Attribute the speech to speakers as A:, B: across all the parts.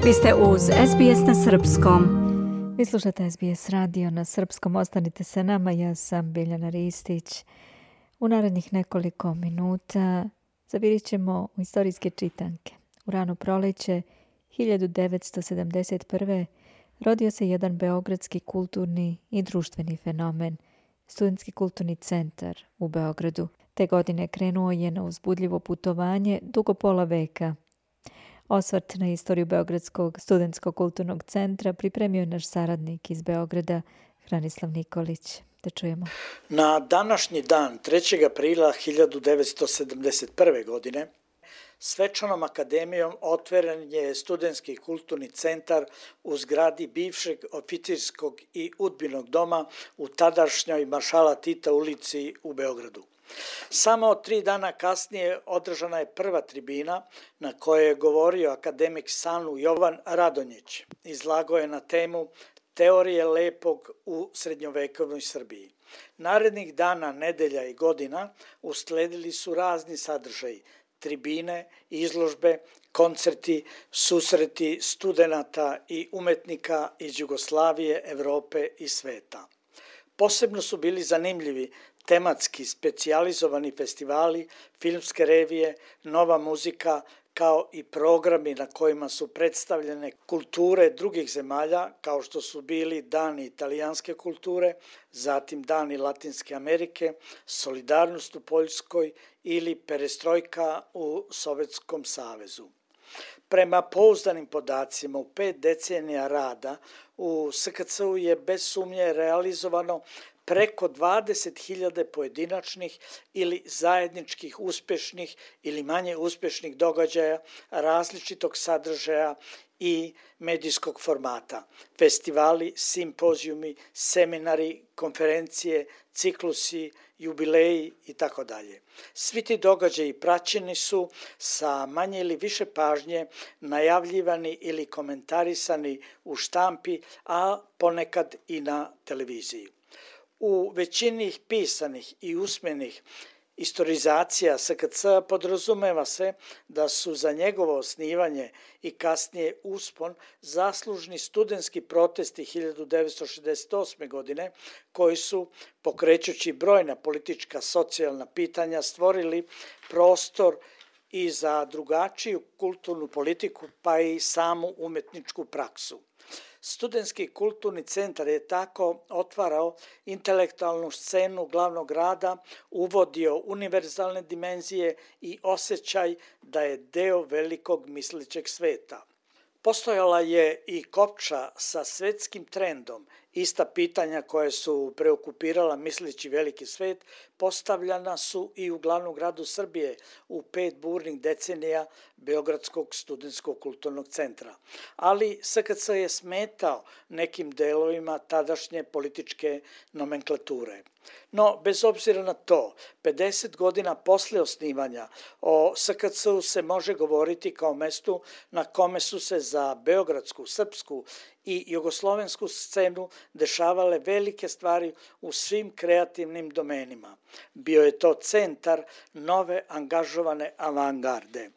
A: Vi ste uz SBS na srpskom. Vi slušate SBS radio na srpskom. Ostanite sa nama, ja sam Biljana Ristić. U narednih nekoliko minuta zavirit ćemo u istorijske čitanke. U rano proleće 1971. rodio se jedan beogradski kulturni i društveni fenomen, Studentski kulturni centar u Beogradu. Te godine krenuo je na uzbudljivo putovanje dugo pola veka. Osvrt na istoriju Beogradskog studentskog kulturnog centra pripremio je naš saradnik iz Beograda, Hranislav Nikolić. Da čujemo.
B: Na današnji dan, 3. aprila 1971. godine, svečanom akademijom otvoren je Studentski kulturni centar u zgradi bivšeg oficirskog i udbinog doma u tadašnjoj Maršala Tita ulici u Beogradu. Samo 3 dana kasnije održana je prva tribina na kojoj je govorio akademik SANU Jovan Radonjić. Izlagao je na temu Teorije lepog u srednjovekovnoj Srbiji. Narednih dana, nedelja i godina usledili su razni sadržaji, tribine, izložbe, koncerti, susreti studenata i umetnika iz Jugoslavije, Evrope i sveta. Posebno su bili zanimljivi tematski specijalizovani festivali, filmske revije, nova muzika, kao i programi na kojima su predstavljene kulture drugih zemalja, kao što su bili Dani italijanske kulture, zatim Dani Latinske Amerike, Solidarnost u Poljskoj ili Perestrojka u Sovjetskom savezu. Prema pouzdanim podacima, u 5 decenija rada u SKC-u je bez sumnje realizovano preko 20.000 pojedinačnih ili zajedničkih uspešnih ili manje uspešnih događaja različitog sadržaja i medijskog formata. Festivali, simpozijumi, seminari, konferencije, ciklusi, jubileji itd. Svi ti događaji praćeni su sa manje ili više pažnje, najavljivani ili komentarisani u štampi, a ponekad i na televiziji. U većini pisanih i usmenih istorizacija SKC podrazumeva se da su za njegovo osnivanje i kasnije uspon zaslužni studentski protesti 1968. godine koji su, pokrećući brojna politička socijalna pitanja, stvorili prostor i za drugačiju kulturnu politiku pa i samu umetničku praksu. Studentski kulturni centar je tako otvarao intelektualnu scenu glavnog grada, uvodio univerzalne dimenzije i osjećaj da je deo velikog mislećeg sveta. Postojala je i kopča sa svetskim trendom. Ista pitanja koje su preokupirala misleći veliki svet postavljana su i u glavnom gradu Srbije u 5 burnih decenija Beogradskog studentskog kulturnog centra. Ali SKC je smetao nekim delovima tadašnje političke nomenklature. No, bez obzira na to, 50 godina posle osnivanja o SKC-u se može govoriti kao mestu na kome su se za beogradsku, srpsku i jugoslovensku scenu dešavale velike stvari u svim kreativnim domenima. Bio je to centar nove angažovane avangarde.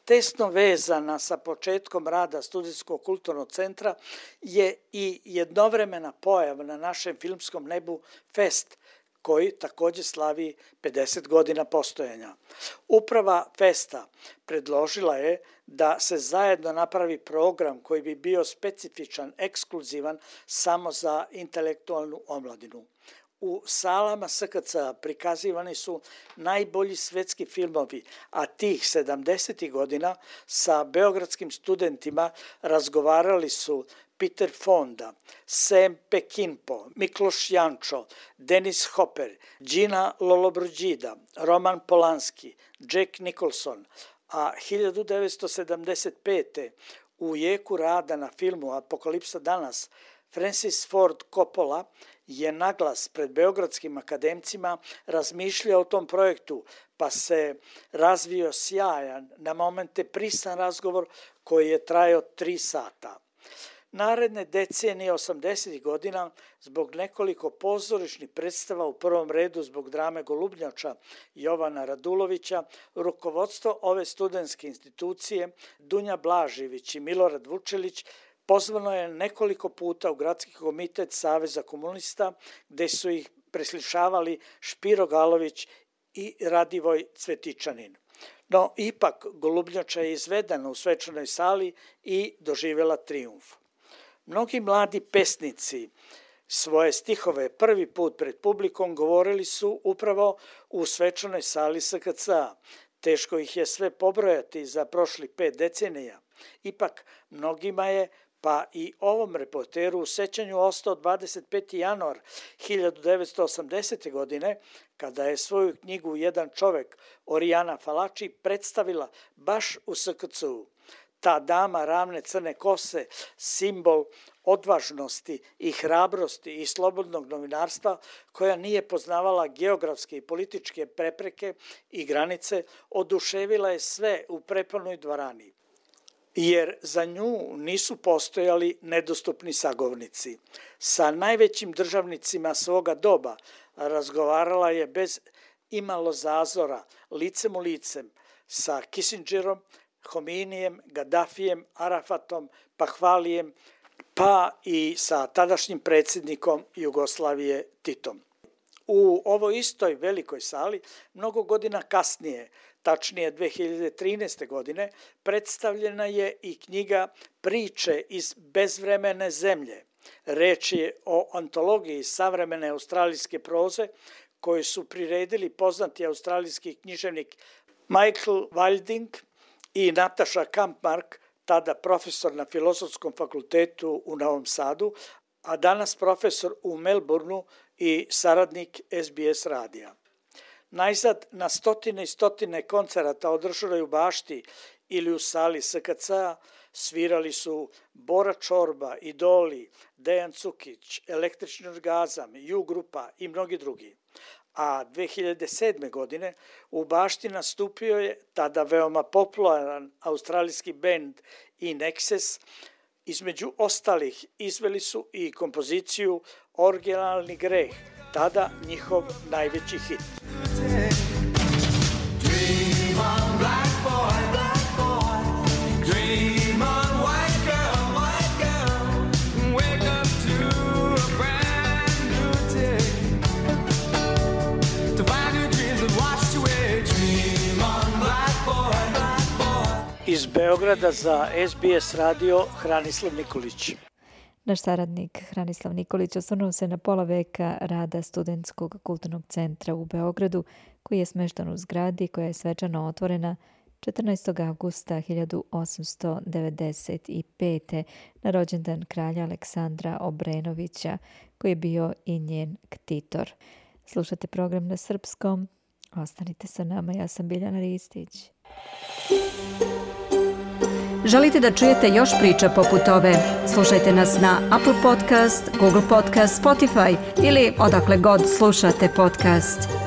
B: Tesno vezana sa početkom rada Studentskog kulturnog centra je i jednovremena pojava na našem filmskom nebu Fest, koji također slavi 50 godina postojanja. Uprava Festa predložila je da se zajedno napravi program koji bi bio specifičan, ekskluzivan samo za intelektualnu omladinu. U salama SKC prikazivani su najbolji svetski filmovi, a tih 70. godina sa beogradskim studentima razgovarali su Peter Fonda, Sam Peckinpah, Mikloš Jančo, Dennis Hopper, Gina Lollobrigida, Roman Polanski, Jack Nicholson, a 1975. u jeku rada na filmu Apokalipsa danas Francis Ford Coppola je naglas pred beogradskim akademcima razmišljao o tom projektu, pa se razvio sjajan, na momente prisan razgovor koji je trajao 3 sata. Naredne decenije 80. godina zbog nekoliko pozorišnih predstava, u prvom redu zbog drame Golubnjača Jovana Radulovića, rukovodstvo ove studentske institucije Dunja Blažević i Milorad Vučelić pozvano je nekoliko puta u Gradski komitet Saveza komunista, gde su ih preslišavali Špiro Galović i Radivoj Cvetičanin. No, ipak Golubnjača je izvedena u svečanoj sali i doživjela trijumf. Mnogi mladi pesnici svoje stihove prvi put pred publikom govorili su upravo u svečanoj sali SKC-a. Teško ih je sve pobrojati za prošli 5 decenija. Ipak, mnogima je, pa i ovom reporteru, u sećanju ostao 25. januar 1980. godine, kada je svoju knjigu Jedan čovek Orijana Falači predstavila baš u SKC-u. Ta dama ravne crne kose, simbol odvažnosti i hrabrosti i slobodnog novinarstva, koja nije poznavala geografske i političke prepreke i granice, oduševila je sve u prepunoj dvorani. Jer za nju nisu postojali nedostupni sagovornici. Sa najvećim državnicima svoga doba razgovarala je bez imalo zazora, licem u licem, sa Kissingerom, Hominijem, Gaddafijem, Arafatom, Pahvalijem, pa i sa tadašnjim predsjednikom Jugoslavije Titom. U ovoj istoj velikoj sali, mnogo godina kasnije, tačnije 2013. godine, predstavljena je i knjiga Priče iz bezvremene zemlje. Reč je o antologiji savremene australijske proze koju su priredili poznati australijski književnik Michael Wilding i Nataša Kampmark, tada profesor na Filozofskom fakultetu u Novom Sadu, a danas profesor u Melbourneu i saradnik SBS radija. Najzad, na stotine i stotine koncerata održanoj u bašti ili u sali SKC-a svirali su Bora Čorba, Idoli, Dejan Cukić, Električni orgazam, U-grupa i mnogi drugi. A 2007. godine u bašti nastupio je tada veoma popularan australijski bend In Excess. Između ostalih izveli su i kompoziciju Originalni greh, tada njihov najveći hit. Iz Beograda za SBS radio Hranislav Nikolić.
A: Naš saradnik Hranislav Nikolić osvrnuo se na pola veka rada Studentskog kulturnog centra u Beogradu, koji je smešten u zgradi koja je svečano otvorena 14. avgusta 1895. na rođendan kralja Aleksandra Obrenovića, koji je bio i njen ktitor. Slušate program na srpskom. Ostanite sa nama, ja sam Biljana Ristić.
C: Želite da čujete još priča poput ove? Slušajte nas na Apple Podcast, Google Podcast, Spotify ili odakle god slušate podcast.